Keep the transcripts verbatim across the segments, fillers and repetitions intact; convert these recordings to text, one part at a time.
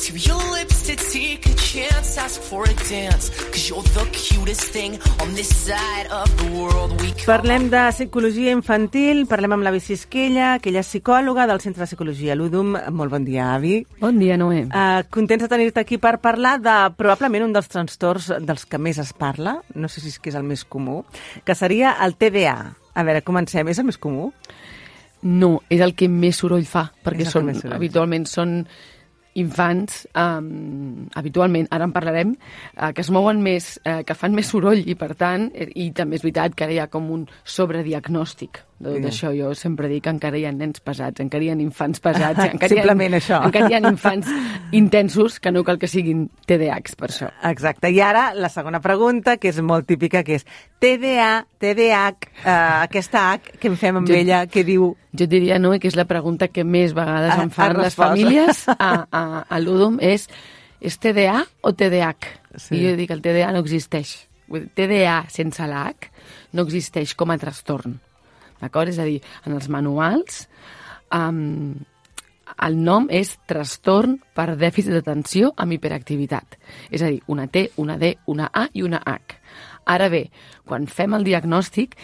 to your lips to take a chance, ask for a dance, cause you're the cutest thing on this side of the world we call... Parlem de psicologia infantil, parlem amb l'Avi Sisquella, que ella és psicòloga del Centre de Psicologia Ludum. Molt bon dia, Avi. Bon dia, Noé. Uh, contents de tenir-te aquí per parlar de probablement un dels trastorns dels que més es parla, no sé si és que és el més comú, que seria el T D A. A veure, comencem. És el més comú? No, és el que més soroll fa, perquè són, soroll. habitualment són infants, um, habitualment, ara en parlarem, uh, que es mouen més, uh, que fan més soroll i, per tant, i també és veritat que ara hi ha com un sobrediagnòstic de tot això. Jo sempre dic que encara hi ha nens pesats, encara hi ha infants pesats, encara simplement hi ha, això. Encara hi ha infants intensos, que no cal que siguin T D As per això. Exacte. I ara la segona pregunta, que és molt típica, que és T D A, T D A H, uh, aquesta H que en fem amb jo, ella, que diu... Jo diria, no, que és la pregunta que més vegades em fan les famílies a, a, a Ludum, és, és T D A o T D A H? Sí. I jo dic que el T D A no existeix. T D A sense la H no existeix com a trastorn. D'acord? És a dir, en els manuals um, el nom és trastorn per dèficit d'atenció amb hiperactivitat. És a dir, una T, una D, una A i una H. Ara bé, quan fem el diagnòstic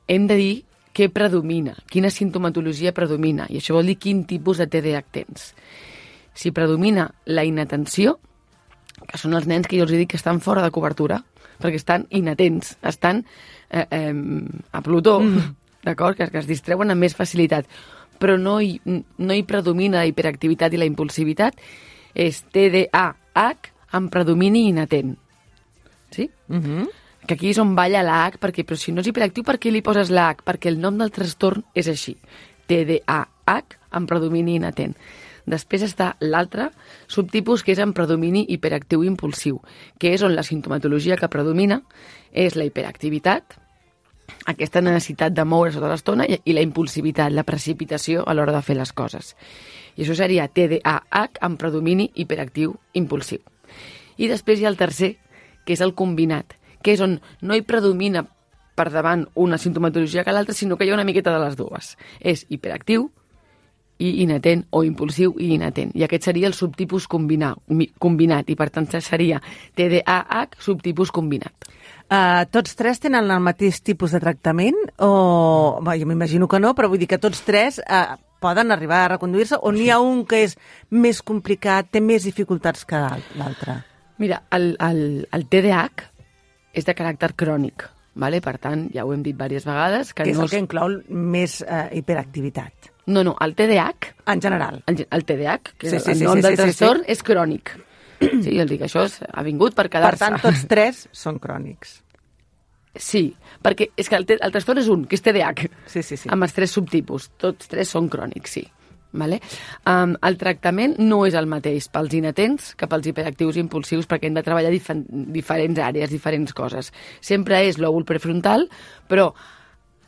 hem de dir què predomina, quina sintomatologia predomina, i això vol dir quin tipus de T D A H tens. Si predomina la inatenció, que són els nens que jo els dic que estan fora de cobertura, perquè estan inatents, estan eh, eh, a Plutó, mm. d'acord? Que, que es distreuen amb més facilitat, però no hi, no hi predomina la hiperactivitat i la impulsivitat, és T D A H amb predomini inatent. Sí? Mhm. Que aquí és on balla la H, perquè, però si no és hiperactiu, per què li poses la H? Perquè el nom del trastorn és així, T D A H amb predomini inatent. Després està l'altre subtipus, que és amb predomini hiperactiu impulsiu, que és on la sintomatologia que predomina és la hiperactivitat, aquesta necessitat de moure's tota l'estona, i la impulsivitat, la precipitació a l'hora de fer les coses. I això seria T D A H amb predomini hiperactiu impulsiu. I després hi ha el tercer, que és el combinat, que és on no hi predomina per davant una sintomatologia que l'altra, sinó que hi ha una miqueta de les dues. És hiperactiu i inatent, o impulsiu i inatent. I aquest seria el subtipus combinat, combinat i per tant seria T D A H subtipus combinat. Uh, tots tres tenen el mateix tipus de tractament? O... Bé, jo m'imagino que no, però vull dir que tots tres uh, poden arribar a reconduir-se, o n'hi ha un que és més complicat, té més dificultats que l'altre? Mira, el, el, el T D A H és de caràcter crònic, vale? Per tant, ja ho hem dit diverses vegades... Que, que és no el que inclou més eh, hiperactivitat. No, no, el T D A H... En general. El, el T D A H, que sí, sí, el sí, nom sí, del sí, trastorn, sí, sí. és crònic. Sí, jo dic, això és, ha vingut per quedar-se. Per tant, tots tres són crònics. Sí, perquè és que el, el trastorn és un, que és T D A H, sí, sí, sí. amb els tres subtipus. Tots tres són crònics, sí. Vale? Um, el tractament no és el mateix pels inatents que pels hiperactius i impulsius, perquè hem de treballar dif diferents àrees, diferents coses. Sempre és lòbul prefrontal, però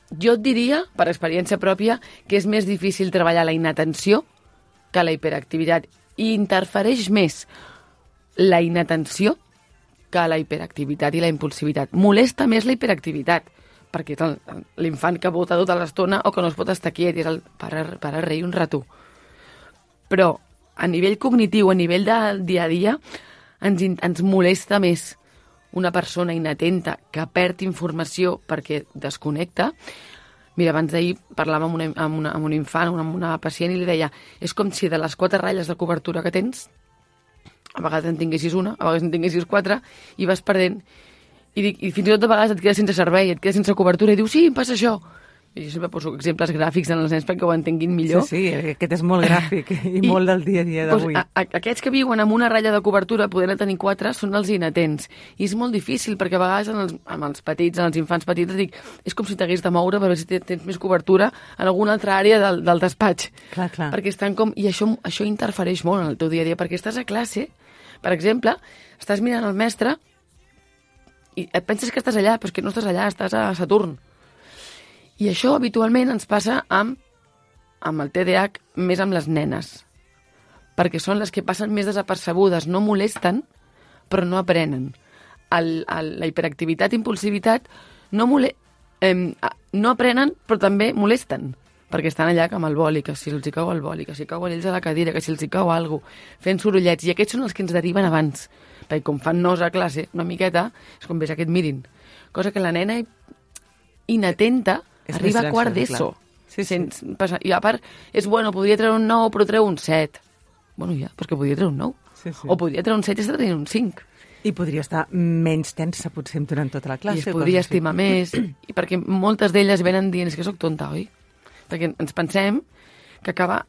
jo et diria, per experiència pròpia, que és més difícil treballar la inatenció que la hiperactivitat, i interfereix més la inatenció que la hiperactivitat i la impulsivitat. Molesta més la hiperactivitat, perquè l'infant que vota tota l'estona o que no es pot estar quiet, és el para, para reir un rato. Però a nivell cognitiu, a nivell del dia a dia, ens, ens molesta més una persona inatenta que perd informació perquè desconnecta. Mira, abans d'ahir parlàvem amb, una, amb, una, amb un infant, amb una pacient, i li deia, és com si de les quatre ratlles de cobertura que tens, a vegades en tinguessis una, a vegades en tinguessis quatre, i vas perdent. I, dic, i fins i tot a vegades et quedes sense servei, et quedes sense cobertura, i dius, sí, em passa això. I jo sempre poso exemples gràfics en els nens perquè ho entenguin millor. Sí, sí, aquest és molt gràfic i, I molt del dia a dia d'avui. Doncs, a, a, aquests que viuen amb una ratlla de cobertura, podent tenir quatre, són els inatents. I és molt difícil, perquè a vegades en els, amb els petits, en els infants petits, dic, és com si t'hagués de moure per veure si tens més cobertura en alguna altra àrea del, del despatx. Clar, clar. Perquè estan com... I això, això interfereix molt en el teu dia a dia, perquè estàs a classe, per exemple, estàs mirant el mestre i et penses que estàs allà, però és que no estàs allà, estàs a Saturn. I això habitualment ens passa amb, amb el T D A H, més amb les nenes, perquè són les que passen més desapercebudes, no molesten, però no aprenen. El, el, la hiperactivitat i impulsivitat no, mole, eh, no aprenen, però també molesten. perquè estan allà com el boli, que si els hi cau el boli, que si cauen ells a la cadira, que si els hi cau alguna cosa, fent sorollets, i aquests són els que ens deriven abans, perquè com fan nos a classe, una miqueta, és com ves aquest mirin, cosa que la nena inatenta és arriba a quart d'ESO. Sí, sí. Sense, i a part, és bueno, podria treure un nou, però treu un set. Bueno, ja, perquè podria treure un nou. Sí, sí. O podria treure un set i està tenint un cinc. I podria estar menys tensa, potser, durant tota la classe. I es podria estimar més, i perquè moltes d'elles venen dient que sóc tonta, oi? Perquè ens pensem que acaba,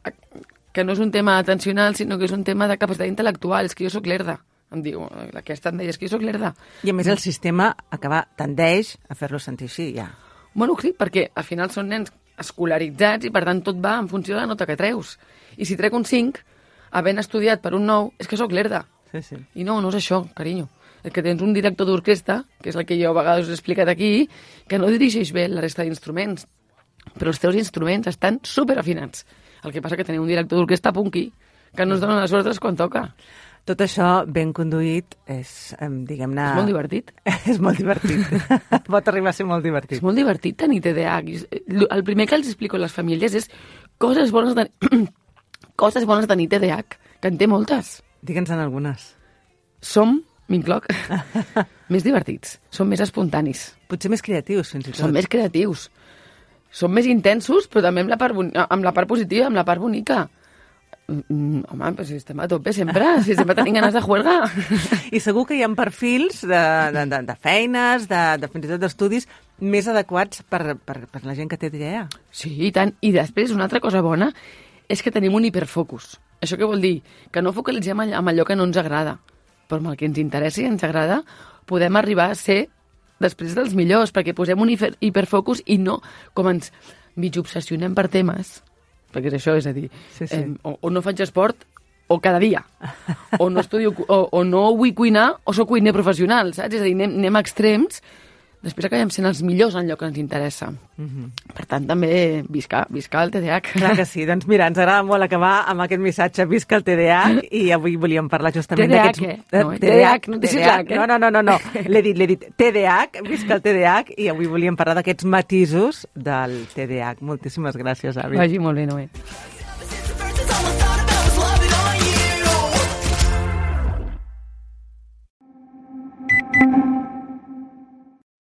que no és un tema atencional, sinó que és un tema de capacitat intel·lectual, és que jo sóc lerda. Em diu, aquesta em deia, és que jo sóc lerda. I a més el sistema acaba, tendeix a fer-lo sentir així, ja. Bueno, sí, perquè al final són nens escolaritzats i per tant tot va en funció de la nota que treus. I si trec un cinc, havent estudiat per un nou, és que sóc lerda. Sí, sí. I no, no és això, carinyo. És que tens un director d'orquestra, que és el que jo a vegades us he explicat aquí, que no dirigeix bé la resta d'instruments, però els teus instruments estan superafinats. El que passa que teniu un director d'orquestra punky, que no es donen les ordres quan toca. Tot això ben conduït és, diguem-ne... És molt divertit. És molt divertit. Pot arribar a ser molt divertit. És molt divertit tenir T D A H. El primer que els explico a les famílies és coses bones de, coses bones de tenir T D A H, que en té moltes. Digue'ns-en algunes. Som, m'incloc, més divertits. Som més espontanis. Potser més creatius, fins i tot. Som més creatius. Som més intensos, però també amb la part, amb la part positiva, amb la part bonica. Mm, home, però si estem a tope sempre, si sempre tenim ganes de juerga. I segur que hi ha perfils de, de, de, de feines, de, de fins i tot d'estudis, més adequats per, per, per la gent que té idea. Sí, i tant. I després, una altra cosa bona és que tenim un hiperfocus. Això què vol dir? Que no focalitzem amb allò que no ens agrada, però amb el que ens interessa i ens agrada podem arribar a ser després dels millors, perquè posem un hiper, hiperfocus i no com ens mig obsessionem per temes, perquè és això, és a dir, sí, sí. Eh, o, o no faig esport o cada dia, o no estudio, o, o no vull cuinar o soc cuiner professional, saps? És a dir, anem, anem a extrems, després acabem sent els millors en allò que ens interessa. Mm-hmm. Per tant, també visca, visca el T D A H. Clar que sí, doncs mira, ens agrada molt acabar amb aquest missatge visca el T D A H i avui volíem parlar justament d'aquests... T D A H, eh? No, T D A H, no T D A H, no, no, no, no, no. L'he dit, l'he dit, T D A H, visca el T D A H, i avui volíem parlar d'aquests matisos del T D A H. Moltíssimes gràcies, Avi. Vagi molt bé, Noé.